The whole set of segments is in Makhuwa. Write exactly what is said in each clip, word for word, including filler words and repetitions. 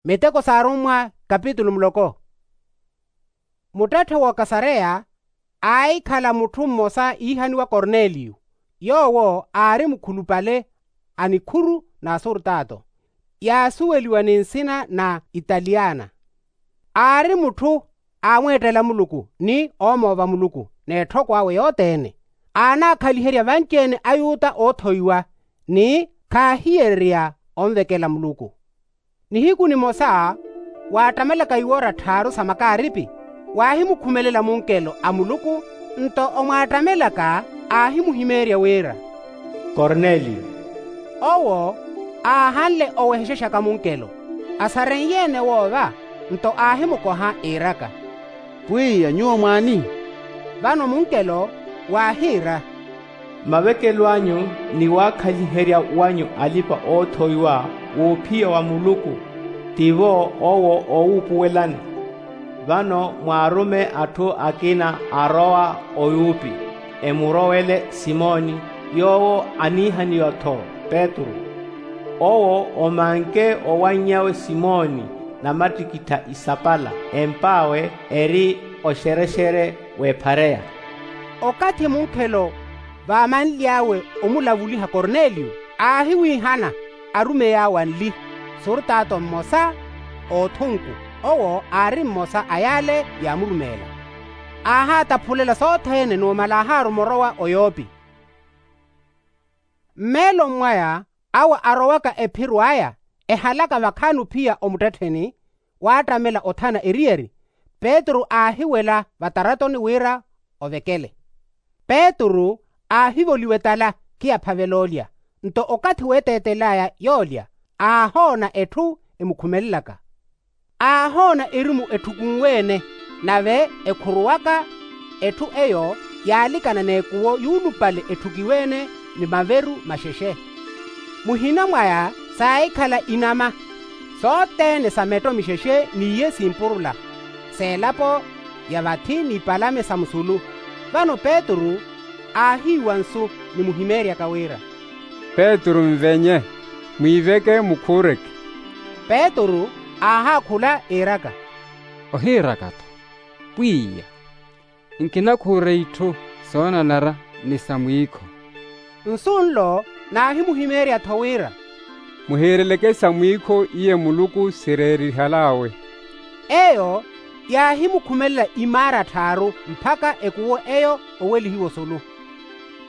Miteko s'arummwa kapitulu muloko. Muttetthe w'okasareya aahikhala mutthu mmosa iihaniwa korneliyo. Yoowo aari mukhulupale a nikhuru n'asurtaato yaasuweliwa ni nsina na italiyana. Aari mutthu aamweettela muluku ni oomoova muluku n'etthoko awe yothene. Aanaakhaliherya vanci-ene ayuta oothoiwa ni khaahiyererya onvekela muluku. Nihiku nimosa waattamelaka iwoora tthaaru sa makaaripi waahimukhumelela munkelo a muluku. Nto omwaattamelaka aahimuhimeerya wira, korneliyo. Owo aahanle owehexexaka munkelo asarenye-ene woova. Nto aahimukoha iiraka, pwiya nyuwo mwaani? Vano munkelo waahiira, mavekelo anyu ni waakhaliherya wanyu alipa-oothoiwa w'ophiya wa muluku tivo owo oowuupuwelani. Vano mwaarume atthu akina arowa oyupi emurowele simoni, yoowo aniihaniwa-tho petru. Owo omanke owannyawe simoni namattikittha isapala emp'awe eri oxerexere w'ephareya. Okathi munkhelo vaamanly'awe omulavuliha korneliyo aahiwiihana arumeyi awe anli, surtaato mmosa oothunku owo aari mmosa a yaale yaamurumeela. Aahaataphulela sothene numala aahaaruma orowa oyopi. Mmeeloni mwaya awo arowaka ephiro aya ehalaka vakhaani ophiya omuttettheni waattamela othana eriyari. Petru aahiwela vataratoni wira ovekele. Petru aahivoliwa etala khiyaphavela olya. Nto okathi weeteetel'aya yoolya aahoona etthu emukhumelelaka. Aahoona erimu etthukunwe-ene nave ekhuruwaka. Etthu eyo yaalikana n'ekuwo yuulupale etthukiwe-ene ni maveru maxexe. Muhina mwaya saahikhala inama sothene sa metto mixexe n'iye simpurula s'elapo ya vathi n'ipalame sa musulu. Vano petru aahiiwa nsu ni muhimeeryaka wira, petru nvenye, mwiiveke mukhuureke. Petru aahaakhula iiraka, ohiiraka-tho pwiya, nkinakhuure itthu soonanara ni sa mwiikho. Nsu nlo naahimuhimeerya-tho wira, muhiireleke sa mwiikho iye muluku sireerihal'awe. Eyo yaahimukhumelela imaara tthaaru mpakha ekuwo eyo owelihiwa osulu.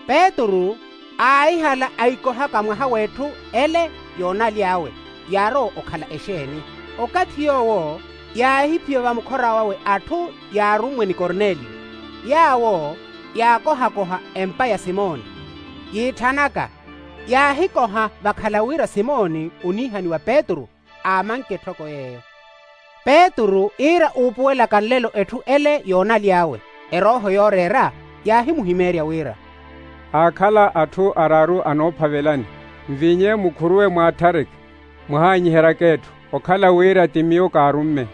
Petru aahihala aikohaka mwaha w'etthu ele yoonaly'awe yaarowa okhala exeeni. Okathi yoowo yaahiphiya vamukhora wawe atthu yaarummwe ni korneliyo. Yaawo yaakohakoha empa ya simoni yiitthanaka. Yaahikoha vakhala wira simoni oniihaniwa petru aamanke etthoko yeeyo. Petru iira uupuwelaka nlelo etthu ele yoonaly'awe erooho yooreera yaahimuhimeerya wira, aakhala atthu araaru anoophavelani, nvinye mukhuruwe mwaatthareke, muhaanyiheryaka etthu okhala wira ti miyo kaarumme.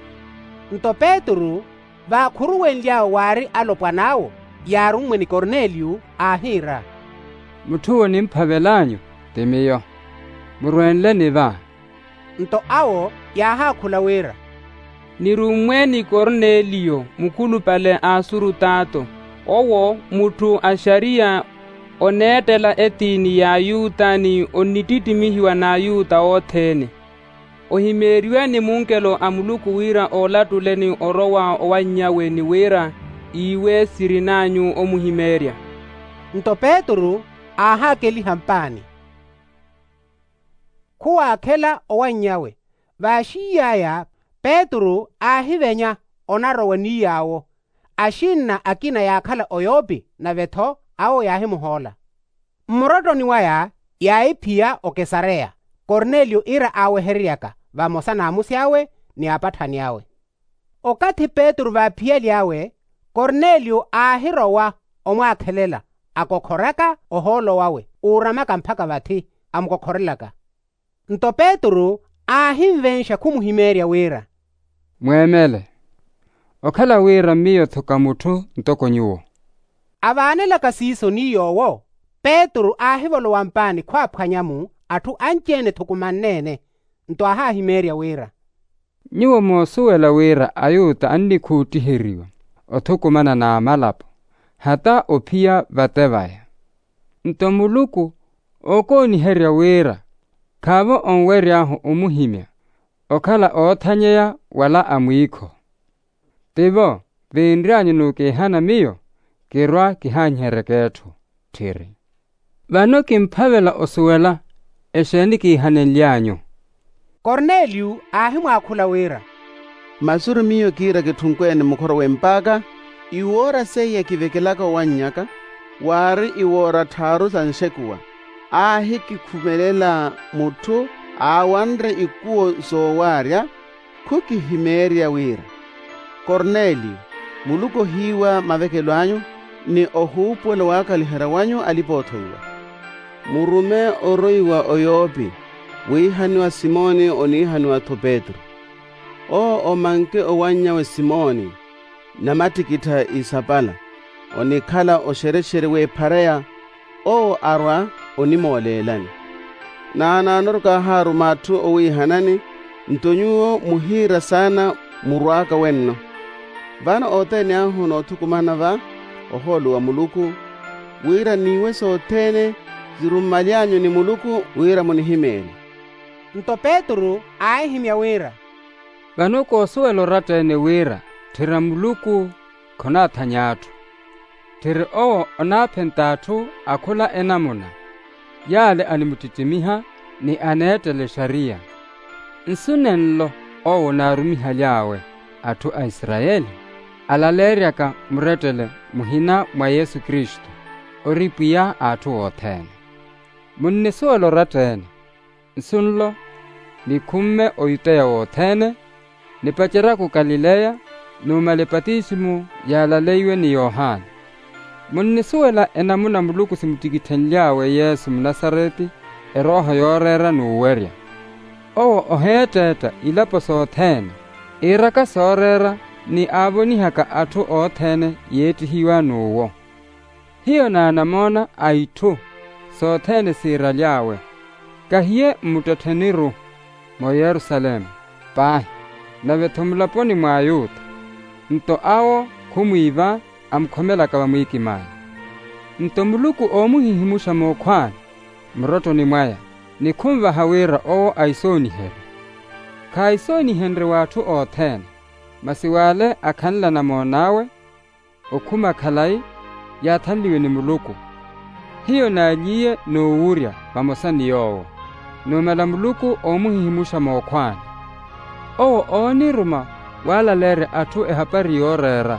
Nto petru vaakhuruwenly'awe waari alopwan'awo yaarummwe ni korneliyo aahiira, mutthu onimphavel'anyu ti miyo, murwenleni va. Nto awo yaahaakhula wira, nirummwe ni korneliyo mukhulupale a asurutaato, owo mutthu a xariya oneettela etiini y'ayuta ni onnittittimihiwa n'ayuta othene. Ohimeeriwe ni munkelo a muluku wira oolattuleni orowa owannyawe ni wira iiwe sirin'anyu omuhimeerya. Nto petru aahaakeliha mpaani khuwaakhela owannyawe. Vaaxiiy'aya petru aahivenya onarowa ni yaawo. Axinna akina yaakhala oyopi nave-tho awo yaahimuhoola. Mmurottoni waya yaahiphiya okesareya korneliyo iira aawehereryaka vamosa n'amusi awe ni apatthani awe. Okathi petru vaaphiyal'awe korneliyo aahirowa omwaakhelela akokhoraka ohoolo wawe uuramaka mpakha vathi amukokhorelaka. Nto petru aahinvenxa khumuhimeerya wira, mweemele okhala wira miyo-tho ka mutthu ntoko nyuwo. Avaanelaka siiso ni yoowo petru aahivolowa mpaani khwaaphwanya-mu atthu anci-ene ethukumanne-ene. Nto aahaahimeerya wira, Nyuwo moosuwela wira ayuta annikhuuttiheriwa othukumana n'amalapo hata ophiya vate vaya. Nto muluku ookooniherya wira khaavo onwery'ahu omuhimya okhala oothanyeya wala a mwiikho. Tivo vinry'anyu n'ukiihana miyo kirwa kihaanyiheryeke etthu. Tthiri vano kimphavela osuwela exeeni kiihanenly'anyu. Korneliyu aahimwaakhula wira, masuru miyo kiira kitthunkwene mukhoro w'empaaka. Iwoora seiya kivekelaka owannyaka waari iwoora tthaaru sa nxekuwa. Aahikikhumelela mutthu aawanre ikuwo soowaarya. Khukihimeerya wira korneliyo, muluku ohiiwa mavekelo anyu ni ohuupuwela owaakhaliherya wanyu alipa-oothoiwa. Murume oroiwa oyopi wiihaniwa simoni oniihaniwa-tho petru. Owo omanke owannyawe simoni namattikittha isapala onikhala oxerexere w'ephareya. Owo arwa onimooleelani. Naanaanoru kaahaaruma atthu owiihanani. Nto nyuwo muhiira saana murwaaka wenno. Vano othene ahu noothukumana va ohoolo wa muluku wira niiwe sothene sirummaly'anyu ni muluku wira munihimeerye. Nto petru aahihimya wira, vano koosuwela oratta-ene wira tthira muluku khonaathanya atthu. Tthiri owo onaaphenta atthu akhula enamuna yaale animuttittimiha ni aneettela exariya. Nsu nenlo owo onaarumihaly'awe atthu a isarayeli alaleeryaka murettele muhina mwa yesu kristu ori pwiya a atthu othene. Munnisuwela oratta-ene nsu nlo nikhumme oyuteya wothene nipaceryaka okalileya numala epatisimu yaalaleiwe ni yohani. Munnisuwela enamuna muluku simuttikitthenly'awe yesu munasareti erooho yooreera n'uwerya. Owo oheetteetta ilapo sothene iiraka sooreera ni aavonihaka atthu othene yeettihiwa n'uwo. Hiyo naanamoona a itthu sothene siiraly'awe kahiye mmuttettheni-ru mooyerusalemu paahi nave-tho mulaponi mwa ayuta. Nto awo khumwiiva amukhomelaka vamwiikim'aya. Nto muluku oomuhihimuxa mookhw'ani murottoni mwaya ni khunvaha wira owo aisooniherye. Khaisoonihenrye w'atthu othene masi w'ale akhanle anamoon'awe okhuma khalayi yaathanliwe ni muluku. Hiyo naalyiiye n'uwurya vamosa ni yoowo numala muluku oomuhihimuxa mookhw'ani. Owo ooniruma waalaleerya atthu ehapari yooreera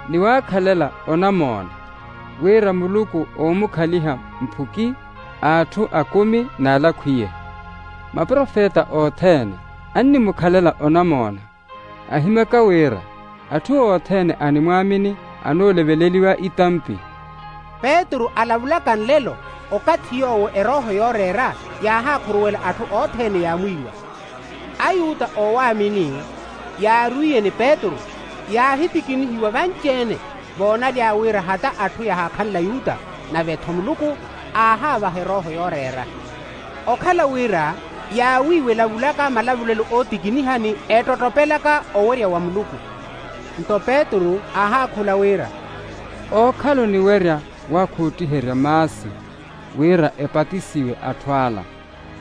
ni waakhalela onamoona wira muluku oomukhaliha mphuki a atthu akumi n'alakhwiye. Maprofeta othene annimukhalela onamoona ahimyaka wira atthu othene animwaamini anooleveliwa itampi. Petru alavulaka nlelo okathi yoowo erooho yooreera yaahakhuruwela atthu othene yaamwiiwa. Ayuta oowaamini yaarwiiye ni petru yaahitikinihiwa vanci-ene voonaly'awe wira hata atthu yahaakhanle ayuta nave-tho muluku aahaavaha erooho yooreera. Okhala wira yaawiiwa elavulaka malavulelo ootikiniha ni ettottopelaka owerya wa muluku. Nto petru aahaakhula wira, ookhala oniwerya waakhuuttiherya maasi wira epatisiwe atthu ala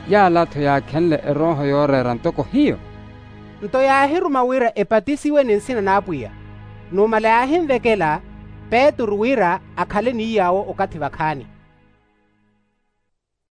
yaala-tho yaakhenle erooho yooreera ntoko hiyo. Nto yaahiruma wira epatisiwe ni nsina n'apwiya. Numala yaahinvekela petru wira akhale ni yaawo okathi vakhaani.